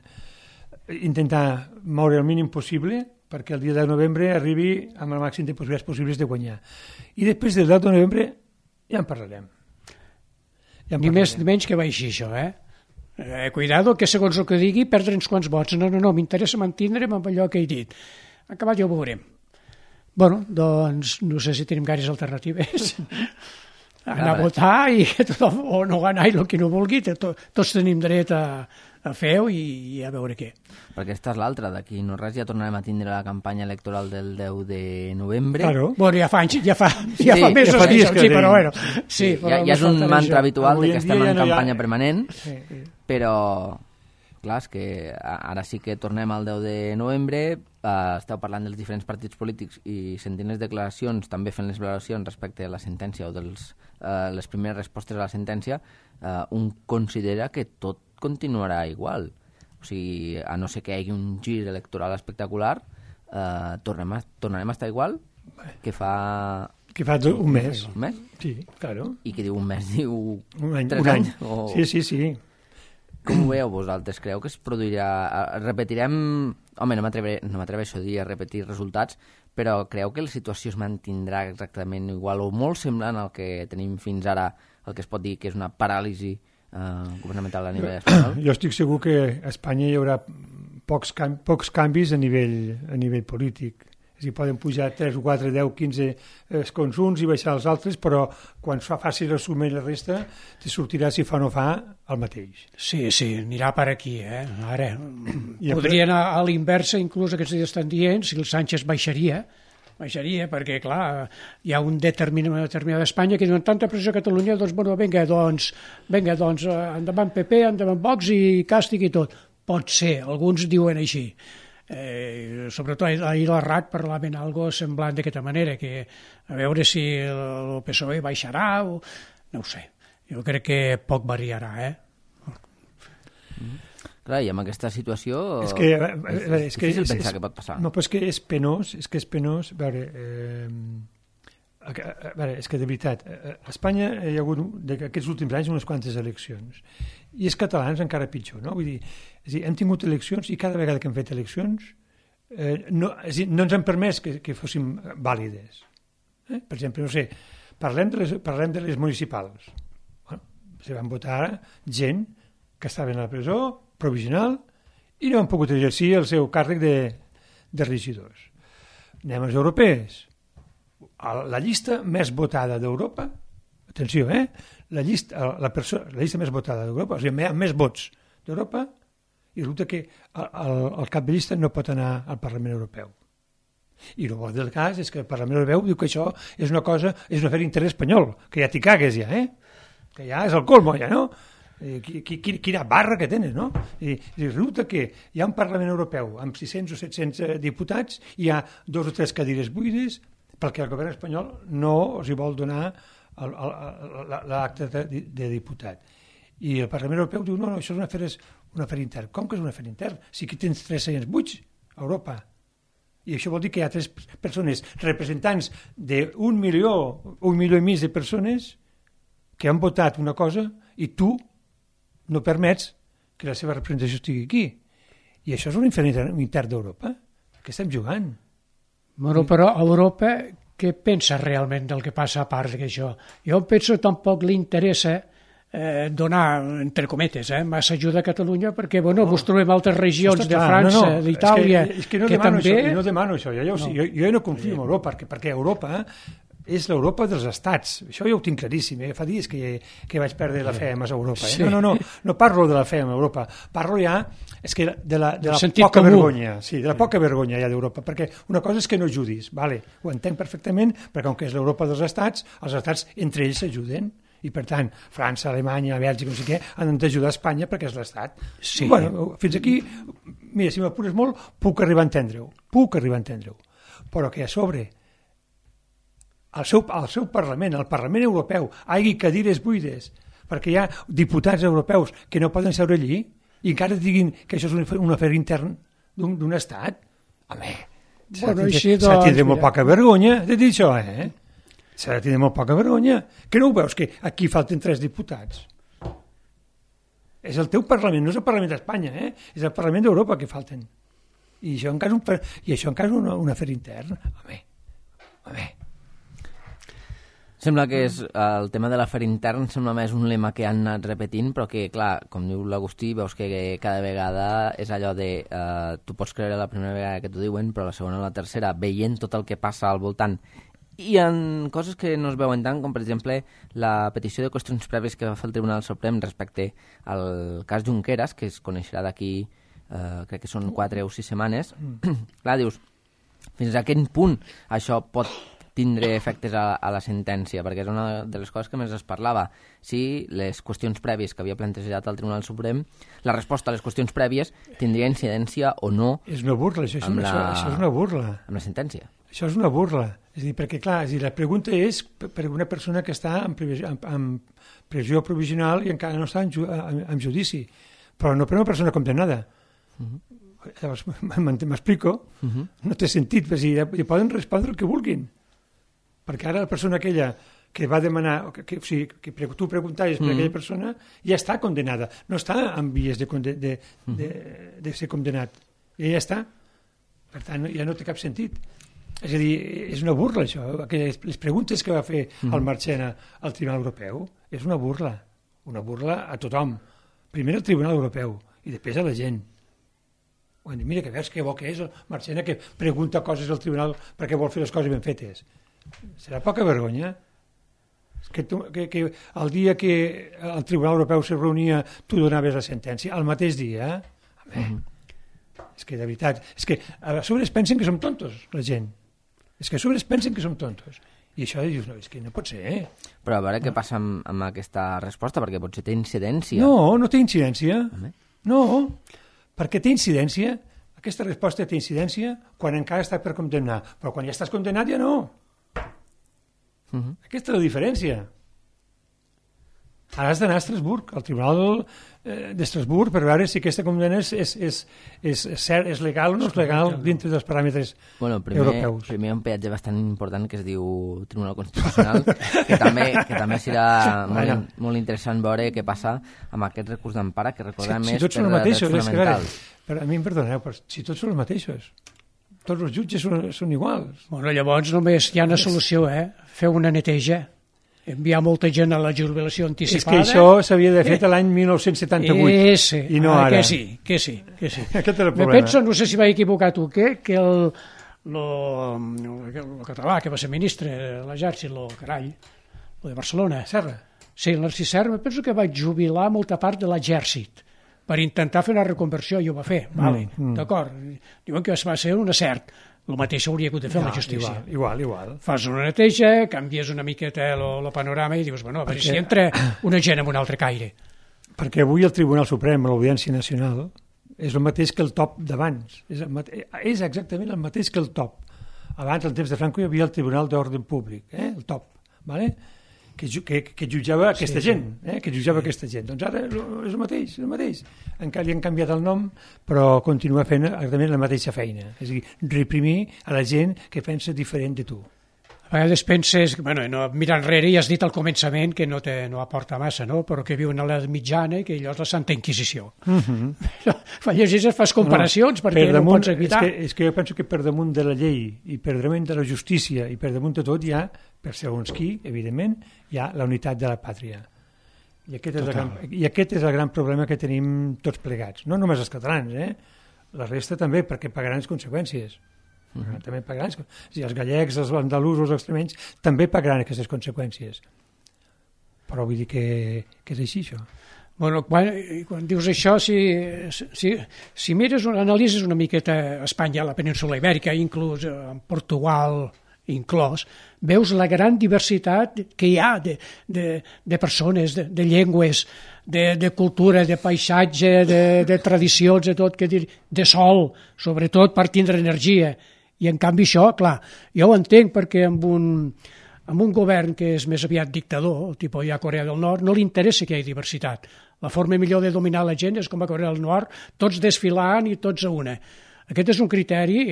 intentar moure el mínim possible perquè el dia 10 de novembre arribi amb el màxim de possibilitats possibles de guanyar. I després del 10 de novembre ja en parlarem. Ni més ni menys que baixi això, cuidado, que segons el que digui perdre uns quants vots. No, m'interessa mantindre'm amb allò que he dit. Acabat ja ho veurem. Bueno, doncs no sé si tenim gaires alternatives. Anar a votar i que tothom, o no anar i el que no vulgui, tots tenim dret a fer-ho i a veure què. Perquè aquesta és l'altra, d'aquí no res ja tornarem a tindre la campanya electoral del 10 de novembre. Claro. Bueno, ja fa mesos que això, sí, però bueno. Sí, ja és un mantra habitual de que estem en campanya permanent, però clar, és que ara sí que tornem al 10 de novembre, esteu parlant dels diferents partits polítics i sentint les declaracions, també fent les valoracions respecte a la sentència o les primeres respostes a la sentència, un considera que tot continuarà igual. O sigui, a no ser que hi hagi un gir electoral espectacular, tornarem a estar igual que fa... Que fa un mes. Un mes? Sí, claro. I que diu un mes, diu... Un any. O... Sí. Com ho veieu vosaltres? Creu que es produirà... Repetirem... Home, no m'atreveixo a dir a repetir resultats, però creu que la situació es mantindrà exactament igual o molt semblant al que tenim fins ara, el que es pot dir que és una paràlisi governamental a nivell espanyol? Jo estic segur que a Espanya hi haurà pocs canvis a nivell polític. És a dir, poden pujar 3, 4, 10, 15 escons uns i baixar els altres, però quan es fa fàcil resumir la resta, te sortirà, si fa o no fa, el mateix. Sí, anirà per aquí, Ara, podria anar a l'inversa, inclús aquests dies estan dient, si el Sánchez baixaria, baixaria, perquè, clar, hi ha una determinada Espanya que diuen tanta pressió a Catalunya, doncs, bueno, vinga, endavant PP, endavant Vox i càstig i tot. Pot ser, alguns diuen així. Sobretot ahir la RAC parlaven algo semblant d'aquesta manera, que a veure si el PSOE baixarà o... No ho sé, jo crec que poc variarà, Clar, i amb aquesta situació és difícil pensar què pot passar. No, però és que és penós, a veure, és que de veritat, a Espanya hi ha hagut aquests últims anys unes quantes eleccions, i els catalans encara pitjor, no? Vull dir, hem tingut eleccions i cada vegada que hem fet eleccions no ens han permès que fóssim vàlides. Per exemple, no sé, parlem de les municipals. Bueno, se van votar gent que estava a la presó provisional i no han pogut exercir el seu càrrec de regidors. Anem als europees. La llista més votada d'Europa, atenció, la llista més votada d'Europa, o sigui, amb més vots d'Europa, i resulta que el cap de llista no pot anar al Parlament Europeu. I el bo del cas és que el Parlament Europeu diu que això és una afer d'interès espanyol, que ja t'hi cagues ja, que ja és el colmo ja, no? Quina barra que tenen, no? I resulta que hi ha un Parlament Europeu amb 600 o 700 diputats, hi ha 2 o 3 cadires buides perquè el govern espanyol no els hi vol donar l'acte de diputat. I el Parlament Europeu diu, no, això és un afer intern. Com que és un afer intern? Si aquí tens 3 seients buits a Europa. I això vol dir que hi ha 3 persones representants d'1 milió, 1 milió i mig de persones que han votat una cosa i tu no permets que la seva representació estigui aquí. I això és un infern intern d'Europa. Què estem jugant? Bueno, però Europa què pensa realment del que passa a part d'això? Jo penso que tampoc li interessa donar, entre cometes, massa ajuda a Catalunya perquè, bueno, vos trobem altres regions de França, d'Itàlia, que també... No demano això, jo no confio en Europa, perquè Europa és l'Europa dels estats. Això jo ho tinc claríssim. Fa dies que vaig perdre la fe en Europa. Sí. No parlo de la fe en Europa. Parlo ja de la poca vergonya. Sí, de la poca vergonya ja d'Europa. Perquè una cosa és que no ajudis. Vale, ho entenc perfectament, perquè com que és l'Europa dels estats, els estats entre ells s'ajuden. I per tant, França, Alemanya, Bèlgica, no sé què, han d'ajudar Espanya perquè és l'estat. Sí. Bueno, fins aquí, mira, si m'apures molt, puc arribar a entendre-ho. Però que a sobre al seu Parlament, al Parlament Europeu, hi hagi cadires buides, perquè hi ha diputats europeus que no poden seure allí i encara diguin que això és un afer intern d'un estat. Home, s'ha de tindre molt poca vergonya de dir això, S'ha de tindre molt poca vergonya. Que no ho veus, que aquí falten 3 diputats? És el teu Parlament, no és el Parlament d'Espanya, és el Parlament d'Europa que falten. I això encara és un afer intern. Home. Sembla que és el tema de l'afer intern, sembla més un lema que han anat repetint, però que, clar, com diu l'Agustí, veus que cada vegada és allò de tu pots creure la primera vegada que t'ho diuen, però la segona o la tercera, veient tot el que passa al voltant. I en coses que no es veuen tant, com per exemple la petició de qüestions prèvies que va fer el Tribunal Suprem respecte al cas Junqueras, que es coneixerà d'aquí, crec que són 4 o 6 setmanes. Clar, dius, fins a quin punt això pot tindre efectes a la sentència, perquè és una de les coses que més es parlava. Si les qüestions prèvies que havia plantejat el Tribunal Suprem, la resposta a les qüestions prèvies tindria incidència o no. És una burla, això és una burla. Amb la sentència. Això és una burla. És a dir, perquè, clar, la pregunta és per una persona que està en pressió provisional i encara no està en judici, però no per una persona condemnada. Llavors, m'explico? No té sentit, perquè poden respondre el que vulguin. Perquè ara la persona aquella que va demanar, que tu preguntaves per aquella persona, ja està condenada, no està en vies de ser condenat. Ja està. Per tant, ja no té cap sentit. És a dir, és una burla, això. Les preguntes que va fer el Marchena al Tribunal Europeu és una burla a tothom. Primer al Tribunal Europeu i després a la gent. Mira, que veus que bo que és el Marchena que pregunta coses al Tribunal perquè vol fer les coses ben fetes. Serà poca vergonya que el dia que el Tribunal Europeu se reunia tu donaves la sentència, el mateix dia. És que de veritat, és que a sobre es pensen que som tontos la gent. És que a sobre es pensen que som tontos. I això dius, no, és que no pot ser, Però a veure què passa amb aquesta resposta, perquè potser té incidència. No, no té incidència. No, perquè té incidència. Aquesta resposta té incidència quan encara està per condemnar. Però quan ja estàs condemnat ja no. Aquesta és la diferència. Ara has d'anar a Estrasburg, al Tribunal d'Estrasburg, per veure si aquesta condemna és legal o no és legal dintre dels paràmetres europeus. Primer un peatge bastant important que es diu Tribunal Constitucional, que també serà molt interessant veure què passa amb aquest recurs d'empara, que recordem si tots són per drets fonamentals. Però a mi em perdoneu, però si tots són els mateixos, tots els jutges són iguals. Bueno, llavors només hi ha una solució, fer una neteja. Enviar molta gent a la jubilació anticipada. És que això s'havia de fer l'any 1978 i no ara. Que sí. Aquest era el problema. Penso, no sé si vaig equivocat o què, que el català que va ser ministre de l'exèrcit, el de Barcelona. Serra. Sí, el Narcís Serra, penso que va jubilar molta part de l'exèrcit per intentar fer una reconversió, i ho va fer, d'acord. Diuen que va ser un acert. El mateix hauria hagut de fer la justícia. Igual. Fas una neteja, canvies una miqueta el panorama i dius, bueno, a veure si entra una gent amb un altre caire. Perquè avui el Tribunal Suprem, l'Audiència Nacional, és el mateix que el top d'abans. És exactament el mateix que el top. Abans, al temps de Franco, hi havia el Tribunal d'Ordre Públic, el top, ¿vale? que jutjava aquesta gent, que jutjava aquesta gent. Doncs ara és el mateix. Encara li han canviat el nom, però continua fent exactament la mateixa feina. És a dir, reprimir a la gent que pensa diferent de tu. A vegades penses, mirant enrere, ja has dit al començament que no aporta massa, no? Però que viuen a l'edat mitjana i que allò és la Santa Inquisició. Fa llegir, fas comparacions perquè no pots evitar. És que jo penso que per damunt de la llei i per damunt de la justícia i per damunt de tot hi ha, per segons qui, evidentment, hi ha la unitat de la pàtria. I aquest és el gran problema que tenim tots plegats. No només els catalans, la resta també, perquè pagaran les conseqüències. També pagaran, els gallecs, els andalusos, els extremenys també pagaran aquestes conseqüències, però vull dir que és així això. Bueno, quan dius això, si mires, analitzes una miqueta Espanya, la península Ibèrica, inclús Portugal inclòs, veus la gran diversitat que hi ha de persones, de llengües, de cultura, de paisatge, de tradicions, de tot, de sol, sobretot per tindre energia. I en canvi això, clar, jo ho entenc perquè amb un govern que és més aviat dictador, tipus ja Corea del Nord, no li interessa que hi hagi diversitat. La forma millor de dominar la gent és com a Corea del Nord, tots desfilant i tots a una. Aquest és un criteri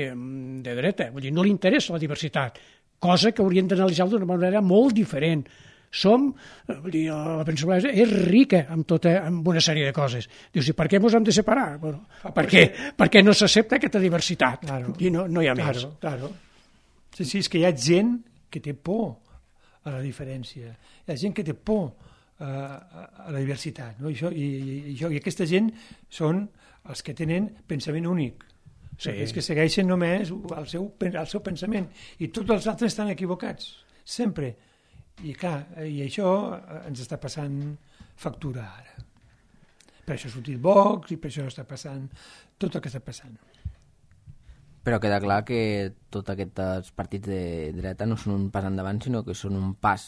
de dreta, vull dir, no li interessa la diversitat, cosa que haurien d'analitzar d'una manera molt diferent. La península és rica amb una sèrie de coses. Dius, i per què ens hem de separar? Bueno, perquè no s'accepta aquesta diversitat. Claro. I no hi ha més. Claro. Sí, és que hi ha gent que té por a la diferència. Hi ha gent que té por a la diversitat. No? I aquesta gent són els que tenen pensament únic. Sí. Els que segueixen només el seu pensament. I tots els altres estan equivocats. Sempre. I clar, i això ens està passant factura ara. Per això ha sortit Vox i per això està passant tot el que està passant. Però queda clar que tots aquests partits de dreta no són un pas endavant, sinó que són un pas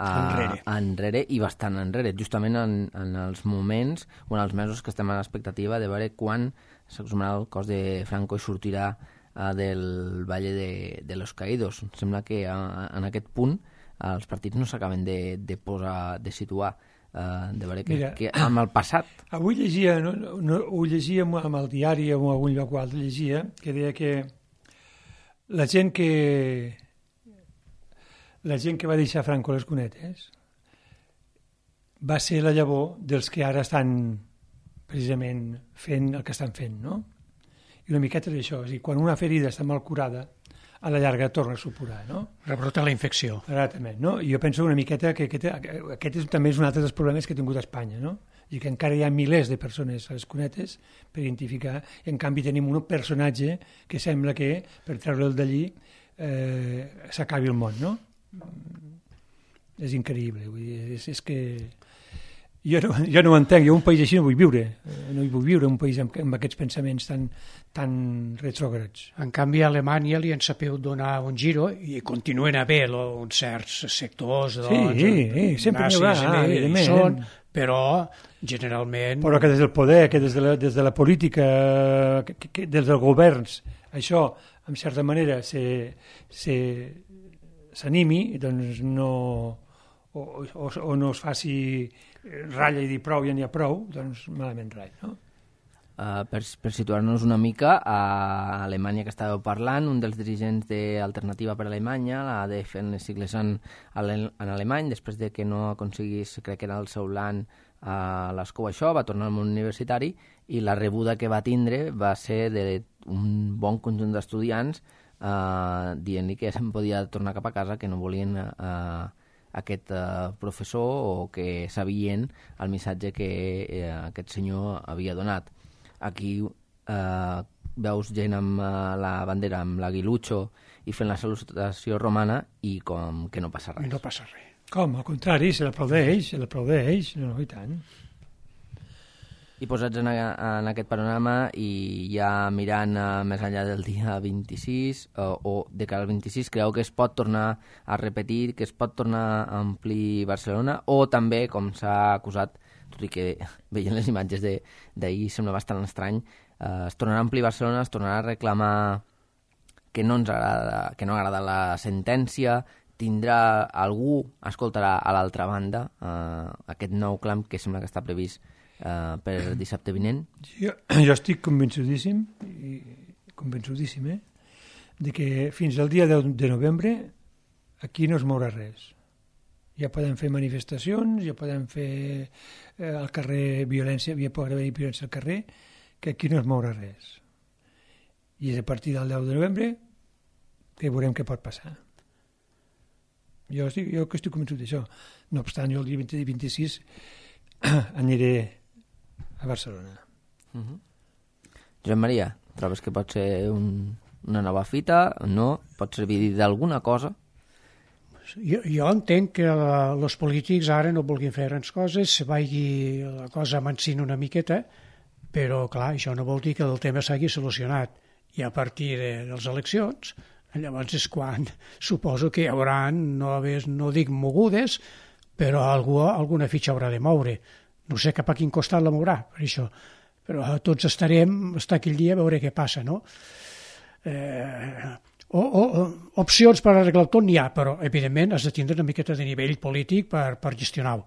enrere i bastant enrere, justament en els moments o en els mesos que estem a l'expectativa de veure quan s'exhumarà el cos de Franco i sortirà del Valle de los Caídos. Em sembla que en aquest punt els partits no s'acaben de situar, de veure que amb el passat... Avui llegia, ho llegia amb el diari o en algun lloc o altre, llegia, que deia que la gent que va deixar Franco les cunetes va ser la llavor dels que ara estan precisament fent el que estan fent, no? I una miqueta d'això, és a dir, quan una ferida està mal curada, a la llarga torna a supurar, no? Rebrota la infecció. Exactament, no? I jo penso una miqueta que aquest també és un altre dels problemes que ha tingut Espanya, no? I que encara hi ha milers de persones a les cunetes per identificar, i en canvi tenim un personatge que sembla que, per treure'l d'allí, s'acabi el món, no? És increïble, vull dir, és que Jo no ho entenc, jo un país així no vull viure. No hi vull viure, un país amb aquests pensaments tan retrògrads. En canvi, a Alemanya li han sabut donar un giro i continuen a haver uns certs sectors sempre n'hi haurà, evidentment. Però generalment... Però que des del poder, que des de la política, que des dels governs, això, en certa manera, s'animi, doncs no... o no es faci ratlla i dir prou, ja n'hi ha prou, doncs malament rai, no? Per situar-nos una mica, a Alemanya que estàveu parlant, un dels dirigents d'Alternativa per Alemanya, la ADF en les sigles en alemany, després de que no aconseguís, crec que era el seu land a l'escou això, va tornar al món universitari i la rebuda que va tindre va ser d'un bon conjunt d'estudiants dient-li que se'n podia tornar cap a casa, que no volien aquest professor o que sabien el missatge que aquest senyor havia donat. Aquí veus gent amb la bandera, amb l'aguilucho i fent la salutació romana i com que no passa res. I no passa res. Com? Al contrari, se l'aplaudeix, no, i tant. I posats en aquest panorama i ja mirant més enllà del dia 26 o de cara al 26, creu que es pot tornar a repetir, que es pot tornar a omplir Barcelona o també, com s'ha acusat, tot i que veient les imatges d'ahir sembla bastant estrany, es tornarà a omplir Barcelona, es tornarà a reclamar que no ens agrada, que no agrada la sentència, tindrà algú, escoltarà a l'altra banda aquest nou clam que sembla que està previst per dissabte vinent? Jo estic convençudíssim, de que fins al dia 10 de novembre aquí no es mourà res. Ja podem fer manifestacions, ja podem fer al carrer violència, ja pot haver violència al carrer, que aquí no es mourà res. I és a partir del 10 de novembre que veurem què pot passar. Jo estic convençut d'això. No obstant, jo el dia 26 aniré a Barcelona. Josep Maria, trobes que pot ser una nova fita? No? Pot servir d'alguna cosa? Jo entenc que els polítics ara no vulguin fer grans coses, se vagi la cosa amansint una miqueta, però clar, això no vol dir que el tema s'hagi solucionat. I a partir de les eleccions, llavors és quan suposo que hi haurà, no dic mogudes, però alguna fitxa haurà de moure. No sé cap a quin costat la mourà, per això. Però tots estarem, aquell dia, a veure què passa, no? Opcions per arreglar tot n'hi ha, però, evidentment, has de tindre una miqueta de nivell polític per gestionar-ho.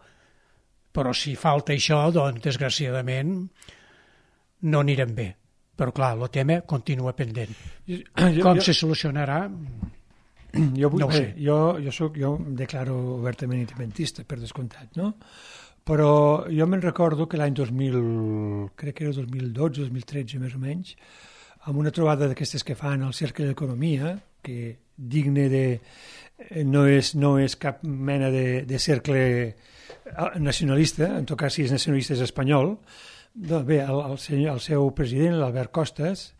Però si falta això, doncs, desgraciadament, no anirem bé. Però, clar, el tema continua pendent. Com se solucionarà? No ho sé. Jo em declaro obertament independentista, per descomptat, no? Però jo me'n recordo que l'any 2000, crec que era 2012, 2013 més o menys, amb una trobada d'aquestes que fan al Cercle d'Economia, que digne de... no és cap mena de cercle nacionalista, en tot cas si és nacionalista és espanyol, doncs bé, el seu president, l'Albert Costas,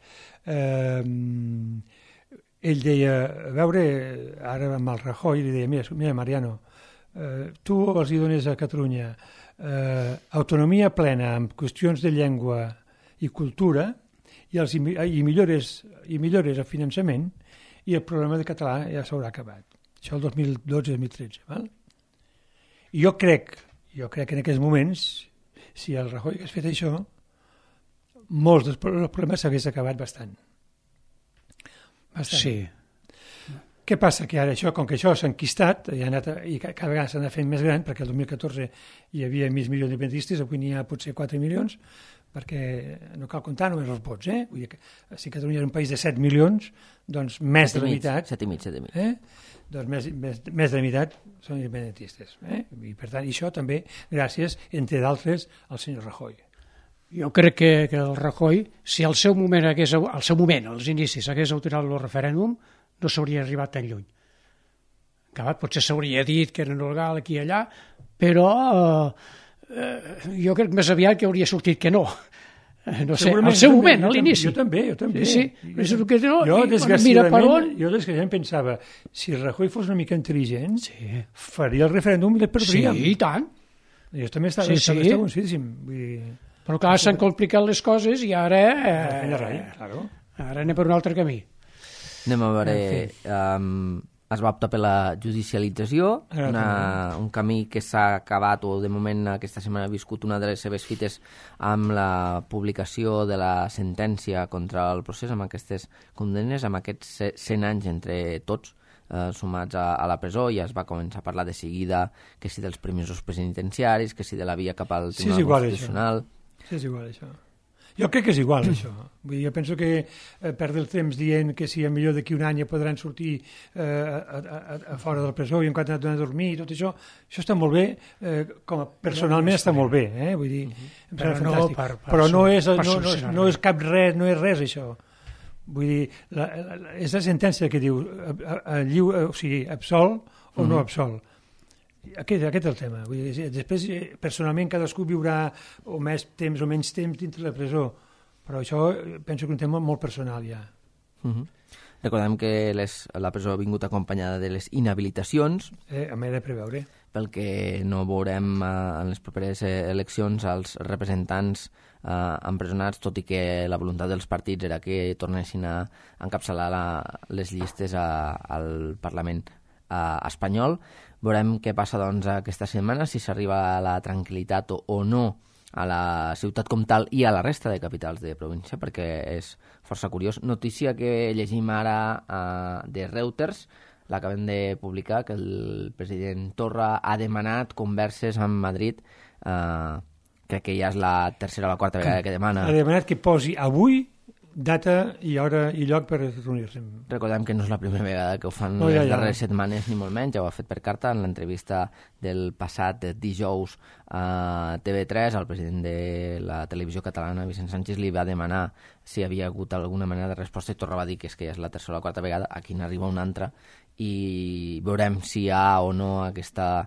ell deia, a veure, ara amb el Rajoy, li deia, mira Mariano, tu els hi dones a Catalunya autonomia plena amb qüestions de llengua i cultura i millores el finançament i el problema de català ja s'haurà acabat. Això el 2012-2013. Val? I jo crec que en aquests moments, si el Rajoy hagués fet això, molts dels problemes s'hagués acabat bastant. Sí. Què passa? Que ara això, com que això s'ha enquistat i cada vegada s'ha anat fent més gran, perquè el 2014 hi havia mig milió d'independentistes, avui n'hi ha potser 4 milions, perquè no cal comptar només els vots, Vull dir que si Catalunya era un país de 7 milions, doncs més de la meitat... 7,5. Doncs més de la meitat són independentistes. I per tant, això també gràcies, entre d'altres, al senyor Rajoy. Jo crec que el Rajoy, si al seu moment, als inicis, hagués autorat el referèndum, no s'hauria arribat tan lluny. Potser s'hauria dit que era legal aquí i allà, però jo crec més aviat que hauria sortit que no. No sé, al seu moment, a l'inici. Jo també. Sí. Jo desgraciadament pensava, si Rajoy fos una mica intel·ligent, faria el referèndum i el perdríem. Sí, i tant. Jo també estava convencidíssim. Però clar, s'han complicat les coses i ara... Ara anem per un altre camí. Anem a veure... Es va optar per la judicialització, un camí que s'ha acabat, o de moment aquesta setmana ha viscut una de les seves fites amb la publicació de la sentència contra el procés, amb aquestes condemnes, amb aquests 100 anys entre tots, sumats a la presó. Ja es va començar a parlar de seguida que si dels permisos penitenciaris, que si de la via cap al Tribunal Constitucional. Sí, és igual això. Jo crec que és igual, això. Vull dir, jo penso que perdre el temps dient que si millor d'aquí un any ja podran sortir a fora de la presó i en quant a dormir i tot això està molt bé, personalment està molt bé, vull dir, em sembla fantàstic. Però no és cap res, no és res, això. Vull dir, és la sentència que diu absol o no absol. Aquest és el tema. Vull dir, després, personalment, cadascú viurà o més temps o menys temps dintre la presó, però això penso que és un tema molt personal ja. Recordem que la presó ha vingut acompanyada de les inhabilitacions. A m'he de preveure. Pel que no veurem en les properes eleccions els representants empresonats, tot i que la voluntat dels partits era que tornessin a encapçalar les llistes al Parlament espanyol. Veurem què passa doncs aquesta setmana, si s'arriba a la tranquil·litat o no a la ciutat com tal i a la resta de capitals de província, perquè és força curiós. Notícia que llegim ara de Reuters, l'acabem de publicar, que el president Torra ha demanat converses amb Madrid. Crec que ja és la tercera o la quarta vegada que demana. Ha demanat que posi avui data i hora i lloc per reunir-se. Recordem que no és la primera vegada que ho fan les darreres setmanes, ni molt menys. Ja ho ha fet per carta en l'entrevista del passat dijous a TV3. El president de la televisió catalana, Vicent Sánchez, li va demanar si havia hagut alguna manera de resposta i Torra va dir que és que ja és la tercera o la quarta vegada. Aquí n'arriba una altra i veurem si hi ha o no aquesta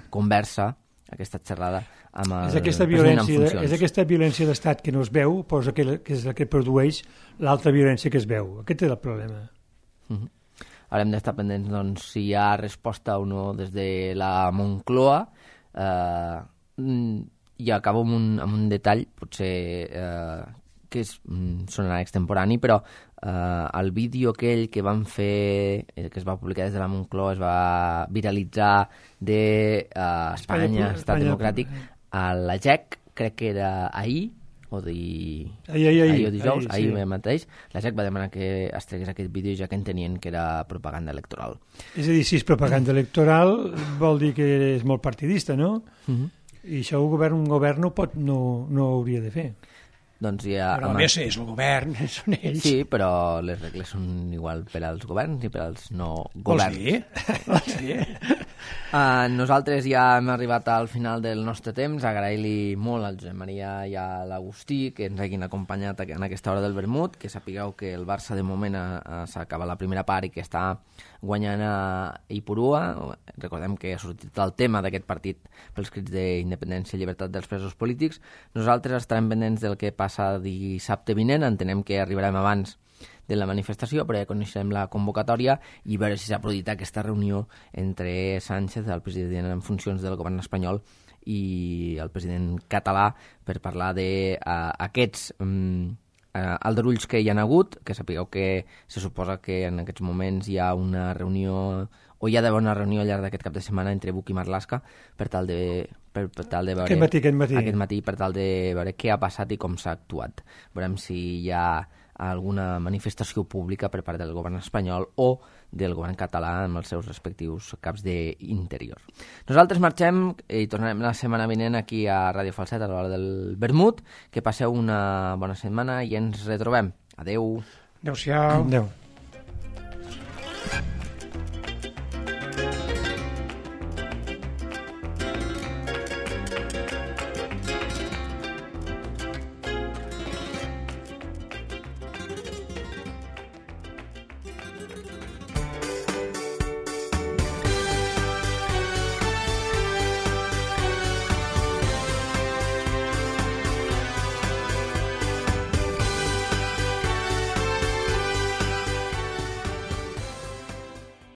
conversa, aquesta xerrada amb el president en funcions. És aquesta violència d'estat que no es veu, que és la que produeix l'altra violència que es veu. Aquest és el problema. Haurem d'estar pendents doncs, si hi ha resposta o no des de la Moncloa. I acabo amb un detall, potser que sonarà extemporani, però el vídeo aquell que van fer, que es va publicar des de la Moncloa, es va viralitzar d'Espanya, Estat Democràtic, a la GEC, crec que era ahir o dijous, ahir mateix, la GEC va demanar que es tregués aquest vídeo ja que entenien que era propaganda electoral. És a dir, si és propaganda electoral vol dir que és molt partidista, no? I això un govern no hauria de fer. Doncs ja, però a més és el govern, són ells. Sí, però les regles són igual per als governs i per als no governs. Vols dir? Nosaltres ja hem arribat al final del nostre temps. Agrair-li molt al Josep Maria i a l'Agustí que ens hagin acompanyat en aquesta hora del vermut, que sapigueu que el Barça de moment s'acaba la primera part i que està guanyant a Ipurua. Recordem que ha sortit el tema d'aquest partit pels crits d'independència i llibertat dels presos polítics. Nosaltres estarem pendents del que passa dissabte vinent. Entenem que arribarem abans de la manifestació, però ja coneixerem la convocatòria i veure si s'ha produït aquesta reunió entre Sánchez, el president en funcions del govern espanyol, i el president català per parlar d'aquests aldarulls que hi ha hagut, que sapigueu que se suposa que en aquests moments hi ha una reunió, o hi ha d'haver una reunió al llarg d'aquest cap de setmana entre Buch i Marlaska per tal de veure aquest matí, per tal de veure què ha passat i com s'ha actuat. Veurem si hi ha alguna manifestació pública per part del govern espanyol o del govern català amb els seus respectius caps d'interior. Nosaltres marxem i tornarem la setmana vinent aquí a Ràdio Falset a l'hora del vermut. Que passeu una bona setmana i ens retrobem. Adeu. Adéu-siau. Adéu.